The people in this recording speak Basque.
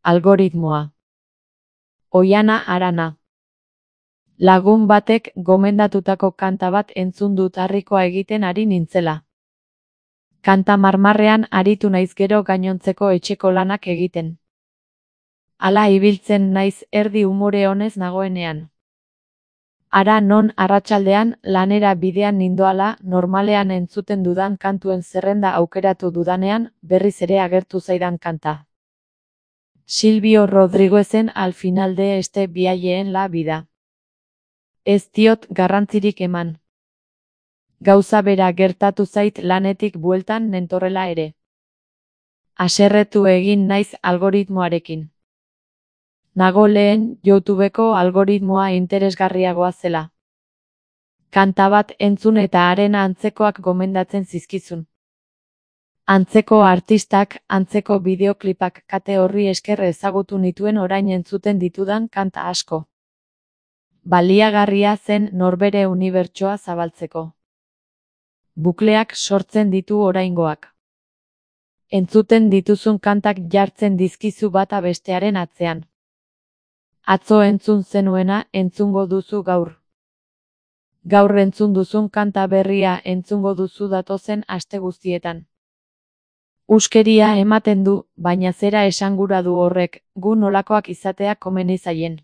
Algoritmoa. Oihana Arana. Lagun batek gomendatutako kanta bat entzun dut harrikoa egiten ari nintzela. Kanta marmarrean aritu naiz gero gainontzeko etxeko lanak egiten. Hala ibiltzen naiz erdi umore honez nagoenean. Hara non arratsaldean lanera bidean nindoala normalean entzuten dudan kantuen zerrenda aukeratu dudanean berriz ere agertu zaidan kanta. Silvio Rodríguezen Al final de este viaje en la vida. Ez diot garrantzirik eman. Gauza bera gertatu zait lanetik bueltan nentorrela ere. Haserretu egin naiz algoritmoarekin. Nago lehen YouTubeko algoritmoa interesgarriagoa zela. Kanta bat entzun eta haren antzekoak gomendatzen zizkizun. Antzeko artistak, antzeko bideoklipak kate horri esker ezagutu nituen orain entzuten ditudan kanta asko. Baliagarria zen norbere unibertsoa zabaltzeko. Bukleak sortzen ditu oraingoak. Entzuten dituzun kantak jartzen dizkizu bata bestearen atzean. Atzo entzun zenuena entzungo duzu gaur. Gaur entzun duzun kanta berria entzungo duzu datozen aste guztietan. Huskeria ematen du, baina zera esangura du horrek, gu nolakoak izatea komeni zaien.